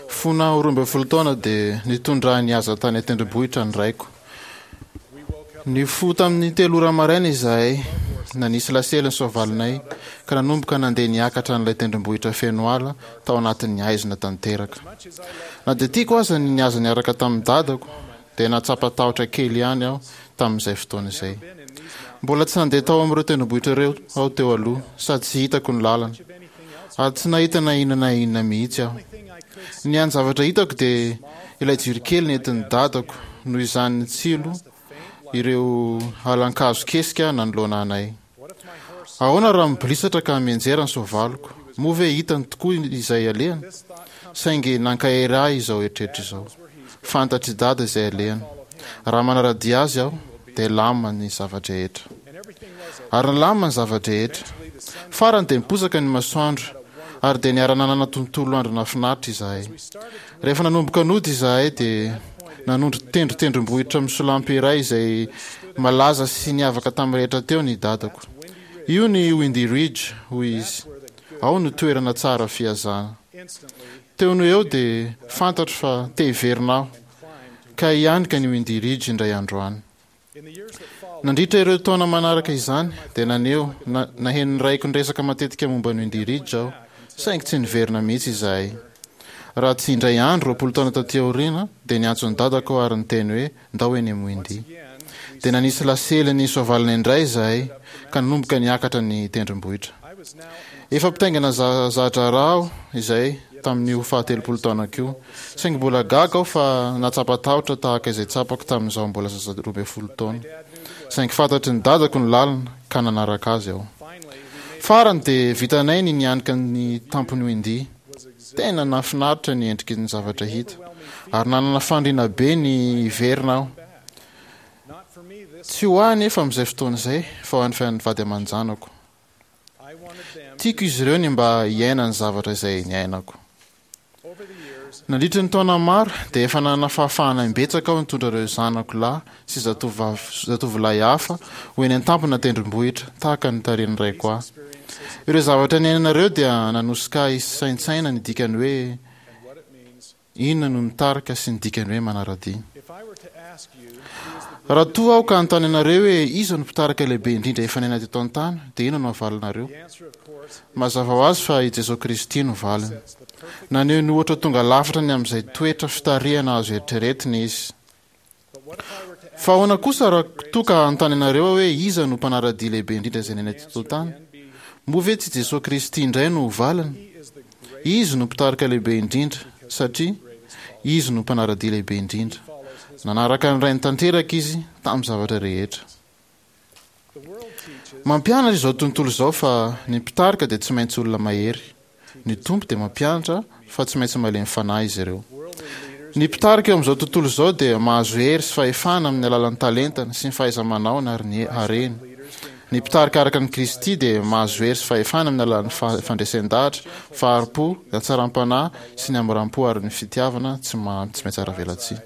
Fony aho 12 taona dia nitondra ahy nihaza tany an-tendrombohitra ny raiko. Nifoha tamin'ny telo ora maraina izahay, nanisy lasely ny soavalinay, ka nanomboka nandeha niakatra an'ilay tendrombohitra feno ala tao anatin'ny haizina tanteraka. Na dia tiako aza ny nihaza niaraka tamin'ny dadako, dia nahatsapa tahotra kely ihany aho tamin'izay fotoana izay. Mbola tsy nandeha tao amin'ireo tendrombohitra ireo aho teo aloha, sady tsy hitako ny lalana. Ary tsy nahita na inona na inona mihitsy aho. Ny hany zavatra hitako dia ilay jiro kely nentin'ny dadako noho izany nitsilo ireo alan-kazo kesika nanoloana anay. Ahoana raha mibolisatra ka mianjera ny soavaliko? Moa ve hitany tokoa izay alehany? Saingy nankahery ahy izao eritreritra izao. Fantatr'i Dada izay alehany. Raha manara-dia azy aho, dia lamina ny zava-drehetra. Ary nilamina ny zava-drehetra. Farany dia niposaka ny masoandro, ary dia niara-nanana tontolo andro nahafinaritra izahay. Rehefa nanomboka nody izahay dia nanondro tendrotendrombohitra misolampy iray izay malaza sy niavaka tamin'ny rehetra teo ny dadako. Io ny Windy Ridge, hoy izy. Ao no toerana tsara fihazana. Teo no eo dia fantatro fa te hiverina aho ka hianika ny Windy Ridge indray andro any. Nandritra ireo taona manaraka izany dia naneho, na, naheno ny raiko niresaka matetika momba ny Windy Ridge aho, saingy tsy niverina mihitsy izahay. Raha tsy indray andro, 20 taona taty aoriana, dia niantso ny dadako aho ary niteny hoe ndao eny amin'ny Windy. Dia nanisy lasely ny soavalina indray izahay ka nanomboka niakatra ny tendrombohitra. Efa mpitaingina za-draharaha aho izay tamin'io fahatelopolo taonako io, saingy mbola gaga aho fa nahatsapa tahotra tahaka izay tsapako tamin'izaho mbola zaza 12 taona. Saingy fantatry ny dadako ny lalana ka nanaraka azy aho. Farany dia vitanay ny nianika ny tampon'i Windy. Tena nahafinaritra ny endriky ny zavatra hita, ary nanana faniriana be ny hiverina aho. Tsy ho ahy anefa amin'izay fotoana izay, fa ho an'ny vady aman-janako. Tiako izy ireo ny mba hiaina ny zavatra izay niainako. Nandritra ny taona maro dia efa nanana fahafahana imbetsaka aho nitondra ireo zanako lahy sy zatovovavy zatovolahy hafa ho eny an-tampona tendrombohitra tahaka ny nitarihan'ny raiko ahy. Ireo zavatra niainana ireo dia nanosika ahy hisaintsaina ny dikany hoe Inona no mitarika sy ny dikany hoe manara-dia? Raha toa aho ka hanontany anareo hoe iza no mpitarika lehibe indrindra efa niaina teto an-tany, dia inona no havalinareo? Mazava ho azy fa i Jesoa Kristy no valiny. Naneho ny ohatra tonga lafatra ny amin'izay toetra fitarihana azo eritreretina izy. Fa ahoana kosa raha toa ka hanontany anareo aho hoe iza no mpanara-dia lehibe indrindra izay niaina teto an-tany? Moa ve tsy Jesoa Kristy indray no ho valiny? Izy no mpitarika lehibe indrindra, satria Izy no mpanara-dia lehibe indrindra. Nanaraka ny Rainy tanteraka Izy tamin'ny zavatra rehetra. Mampianatra izao tontolo izao fa ny mpitarika dia tsy maintsy olona mahery. Ny Tompo dia mampianatra fa tsy maintsy malemy fanahy izy ireo. Ny mpitarika eo amin'izao tontolo izao dia mahazo hery sy fahefana amin'ny alalan'ny talentany sy ny fahaiza-manaony ary ny hareny. Ny mpitarika araka an'i Kristy dia mahazo hery sy fahefana amin'ny alalan'ny fandresen-dahatra, fahari-po, ny hatsaram-panahy sy ny hamoram-po ary ny fitiavana tsy mihatsaravelatsihy.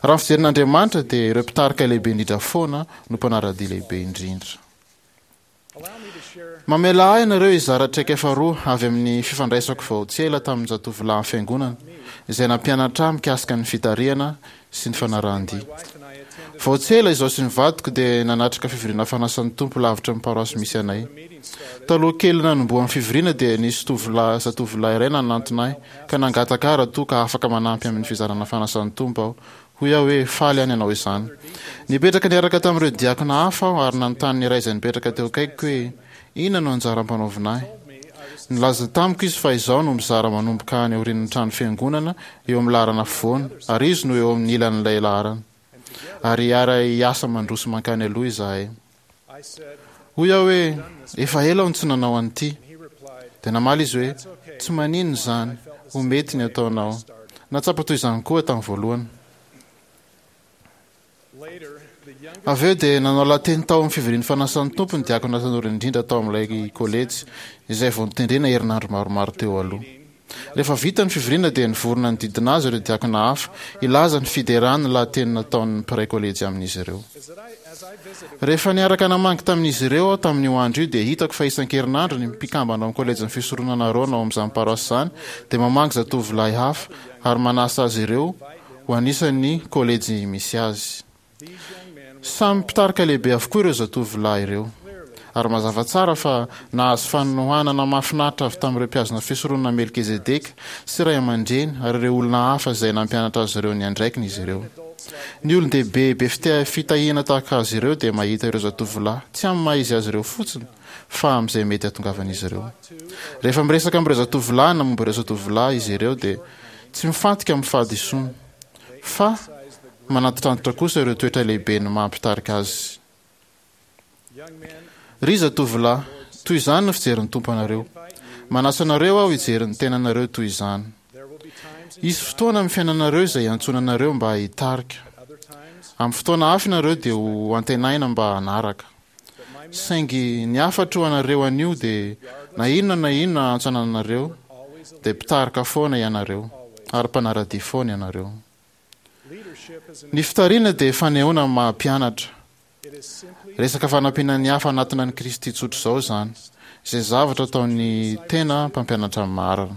Raha ny fijerin'Andriamanitra dia ireo mpitarika lehibe indrindra foana no mpanara-dia lehibe indrindra. Mamelà ahy ianareo hizara traikefa roa avy amin'ny fifandraisako vao tsy ela tamin'ny zatovolahin'ny Fiangonana izay nampianatra ahy mikasika ny fitarihana sy ny fanarahan-dia. Vao tsy ela izaho sy ny vadiko dia nanatrika fivoriana fanasan'ny Tompo lavitra ny paroasy misy anay. Taloha kelin'ny nanombohan'ny fivoriana dia nisy tovolahy zatovolahy iray nanantona ahy ka nangataka ahy raha toa ka afaka manampy amin'ny fizarana fanasan'ny Tompo aho Hoy aho hoe, Faly aho ny hanao izany. Nipetraka niaraka tamin'ireo diakona hafa aho ary nanontany ny iray izay nipetraka teo akaikiko hoe, Inona no anjara ampanaovina ahy? Nilaza tamiko izy fa izaho no mizara manomboka any aorian'ny trano fiangonana eo amin'ny laharana afovoany ary izy no eo amin'ny ilan'ilay laharana. Ary hiara-hiasa mandroso mankany aloha izahay. Hoy aho hoe, Efa ela aho no tsy nanao an'ity. Dia namaly izy hoe, Tsy maninona izany, ho mety ny ataonao. Nahatsapa toy izany koa aho tamin'ny voalohany. Avy eo dia nanao lahateny tao amin'ny fivorian'ny fanasan'ny Tompo ny diakona tanora indrindra tao amin'ilay kolejy, izay vao notendrena herinandro maromaro teo aloha. Rehefa vita ny fivoriana dia nivory nanodidina azy ireo diakona hafa hilaza ny fiderany ny lahateny nataon'ny mpiray kolejy amin'izy ireo. Rehefa niaraka namangy tamin'izy ireo aho tamin'io andro io dia hitako fa isan-kerinandro ny mpikambana ao amin'ny kolejin'ny Fisoronana Arona ao amin'izany paroasy izany dia mamangy zatovolahy hafa ary manasa azy ireo ho anisan'ny kolejy misy azy. Samy mpitarika lehibe avokoa ireo zatovolahy ireo, ary mazava tsara fa nahazo fanohanana mahafinaritra avy tamin'ireo mpihazona fisoronana Melkizedeka sy ray aman-dreny ary ireo olona hafa izay nampianatra azy ireo ny andraikiny izy ireo. Ny olon-dehibe be fitahiana tahaka azy ireo dia mahita ireo zatovolahy tsy amin'ny maha-izy azy ireo fotsiny fa amin'izay mety hahatongavan'izy ireo. Rehefa miresaka amin'ireo zatovolahy na momba ireo zatovolahy izy ireo dia tsy mifantoka amin'ny fahadisoany fa Manantitrantitra kosa ireo toetra lehibe ny maha mpitarika azy. Ry zatovolahy, toy izany no fijerin'ny Tompo anareo. Manasa anareo aho hijery ny tenanareo toy izany. Hisy fotoana amin'ny fiainanareo izay hiantsoana anareo mba hitarika. Amin'ny fotoana hafa ianareo dia ho antenaina mba hanaraka. Saingy ny hafatro ho anareo anio dia na inona na inona antso anananareo dia mpitarika foana ianareo ary mpanara-dia foana ianareo. Ny fitarihana dia fanehoana ny maha mpianatra. Resaka fanampiana ny hafa hanatona an'i Kristy tsotra izao izany, izay zavatra ataon'ny tena mpampianatra marina.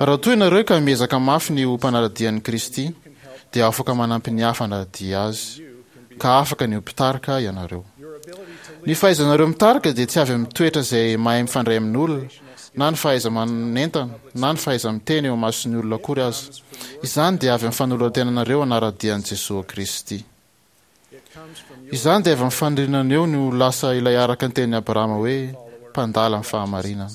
Raha toa ianareo ka miezaka mafy ny ho mpanara-dia an'i Kristy, dia afaka manampy ny hafa hanara-dia Azy, ka afaka ny ho mpitarika ianareo. Ny fahaizanareo mitarika dia tsy avy amin'ny toetra izay mahay mifandray amin'olona, na ny fahaiza-manentana, na ny fahaiza-miteny eo imason'ny olona akory aza. Izany dia avy amin'ny fanoloran-tenanareo hanara-dia an'i Jesoa Kristy. Izany dia avy amin'ny faniriananeo ny ho lasa ilay araka ny tenin'i Abrahama hoe mpandala ny fahamarinana.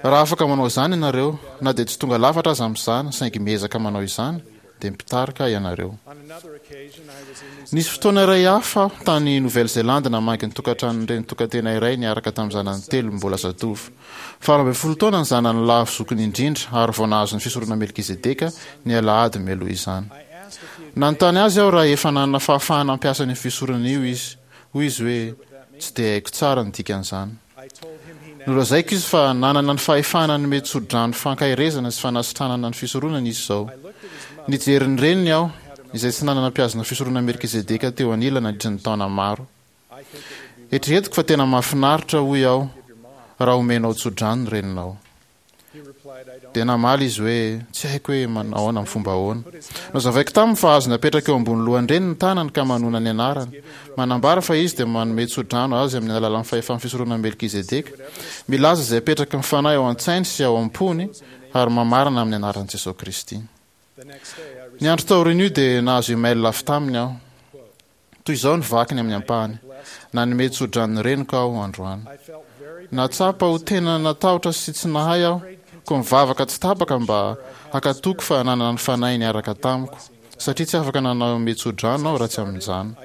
Raha afaka manao izany ianareo, na dia tsy tonga lafatra aza amin'izany, saingy miezaka manao izany, dia mpitarika ianareo. Nisy fotoana iray hafa aho tany Nouvelle-Zélande namangy ny tokantranon'ny reny tokan-tena iray niaraka tamin'ny zanany telo mbola zatovo. 18 taona ny zanany lahy zokiny indrindra ary vao nahazo ny fisoronana Melkizedeka ny alahady mialoha izany. Nanontany azy aho raha efa nanana fahafahana hampiasa an'io fisoronana io izy. Hoy izy hoe, Tsy dia haiko tsara ny dikan'izany. Nolazaiko izy fa nanana ny fahefana hanome tsodrano fankaherezana sy fanasitranana ny fisoronana izy izao. Nijery ny reniny aho, izay tsy nanana mpihazona fisoronana Melkizedeka teo anilany nandritra ny taona maro. Eritreretiko fa tena mahafinaritra, hoy aho, raha omenao tsodrano ny reninao. Dia namaly izy hoe, Tsy haiko hoe manahoana amin'ny fomba ahoana. Nozavaiko taminy fa azony apetraka eo ambony lohan-dreniny ny tanany ka manona ny anarany. Manambara fa izy dia manome tsodrano azy amin'ny alalan'ny fahefan'ny fisoronan'i Melkizedeka. Milaza izay apetraky ny Fanahy ao an-tsainy sy ao am-pony ary mamarana amin'ny anaran'i Jesoa Kristy. Ny andro taorian'io dia nahazo email avy taminy aho. Toy izao ny vakiny amin'ny ampahany, Nanome tso-drano ny reniko aho androany. Nahatsapa ho tena natahotra sy tsy nahay aho, koa nivavaka tsy tapaka mba hankatoako fa nanana ny Fanahy niaraka tamiko, satria tsy afaka nanome tso-drano aho raha tsy amin'izany.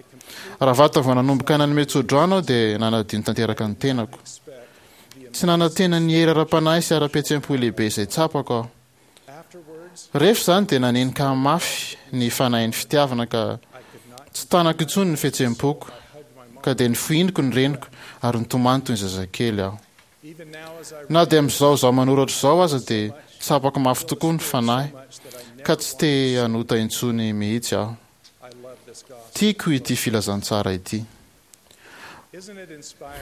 Raha vantany vao nanomboka nanome tso-drano aho dia nanadino tanteraka ny tenako. Tsy nanantena ny hery ara-panahy sy ara-pihetseham-po lehibe izay tsapako aho. Rehefa izany dia nanenika mafy ny fanahin'ny fitiavana ka tsy tanako intsony ny fihetseham-poko ka dia nofohiniko ny reniko ary nitomany toy ny zazakely aho. Na dia amin'izao izaho manoratra izao aza dia tsapako mafy tokoa ny fanahy ka tsy te hanota intsony mihitsy aho. Tiako ity filazantsara ity.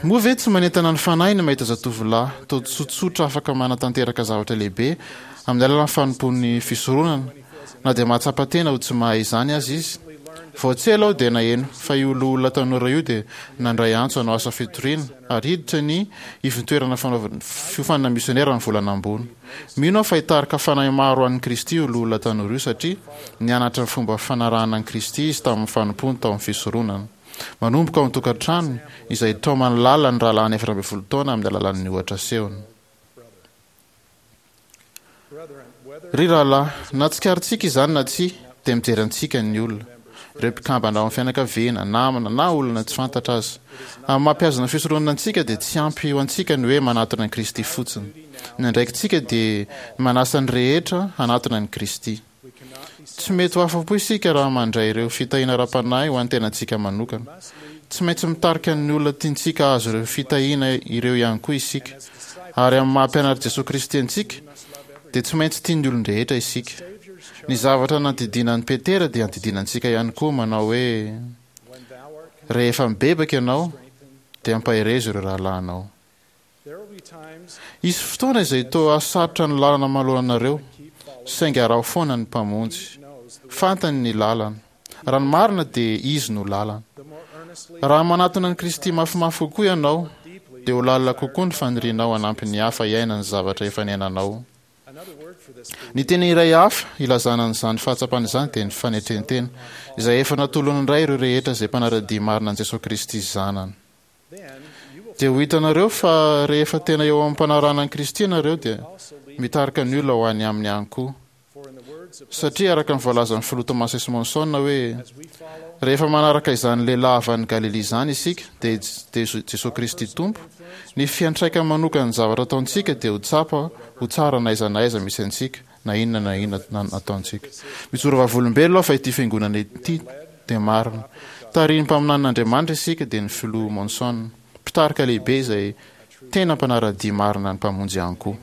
Moa ve tsy manentana ny fanahy ny mahita zatovolahy toa tsotsotra afaka manatanteraka zavatra lehibe amin'ny alalan'ny fanompoan'ny fisoronana, na dia mahatsapa tena ho tsy mahay izany aza izy? Vao tsy ela aho dia naheno fa io loholona tanora io dia nandray antso hanao asa fitoriana ary hiditra ny ivontoerana fanaovana fiofanana misionera ny volana ambony. Mino aho fa hitarika fanahy maro ho an'i Kristy io loholona tanora io satria nianatra ny fomba fanarahana an'i Kristy izy tamin'ny fanompoany tao amin'ny fisoronana. Manomboka ao an-tokantranony, izay itaomany lalina ny rahalahiny 14 taona amin'ny alalan'ny ohatra asehony. Ry rahalahy, na tsikaritsika izany na tsia, dia mijery antsika ny olona. Ireo mpikambana ao amin'ny fianakaviana, namana, na olona tsy fantatra aza. Amin'ny maha mpihazona fisoronana antsika dia tsy ampy ho antsika ny hoe manatona an'i Kristy fotsiny. Ny andraikitsika dia ny manasa ny rehetra hanatona an'i Kristy. Tsy mety ho afa-po isika raha mandray ireo fitahiana ara-panahy ho an'ny tenantsika manokana. Tsy maintsy mitarika ny olona tiantsika hahazo ireo fitahiana ireo ihany koa isika. Ary amin'ny maha mpianatr'i Jesoa Kristy antsika, dia tsy maintsy tia ny olon-drehetra isika. Ny zavatra nandidiana an'i Petera dia andidiana antsika ihany koa manao hoe, Rehefa mibebaka ianao, dia ampaherezo ireo rahalahinao. Hisy fotoana izay toa hahasarotra ny lalana manoloana anareo, saingy araho foana ny Mpamonjy. Fantany ny lalana. Raha ny marina dia Izy no lalana. Raha manatona an'i Kristy mafimafy kokoa ianao, dia ho lalina kokoa ny fanirianao hanampy ny hafa hiaina ny zavatra efa niainanao. Ny teny iray hafa ilazana an'izany fahatsapana izany dia ny fanetren-tena, izay efa natolon'ny Ray ireo rehetra izay mpanara-dia marina an'i Jesoa Kristy Zanany. Dia ho hitanareo fa rehefa tena eo am-panarahana an'i Kristy ianareo dia mitarika ny olona ho any Aminy ihany koa. Satria araka ny voalazan'ny Filoha Thomas S. Monson hoe, Rehefa manaraka izany lehilahy avy any Galilia izany isika, dia Jesoa Kristy Tompo, ny fiantraikany manokan'ny zavatra ataontsika dia ho tsapa ho tsara na aiza na aiza misy antsika, na inona na inona ataontsika. Mijoro vavolombelona aho fa ity Fiangonana ity dia marina. Tarihin'ny mpaminanin'Andriamanitra isika, dia ny Filoha Monson, mpitarika lehibe izay tena mpanara-dia marina ny Mpamonjy ihany koa.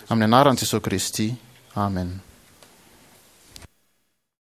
Amin'ny anaran'i Jesoa Kristy, Amen.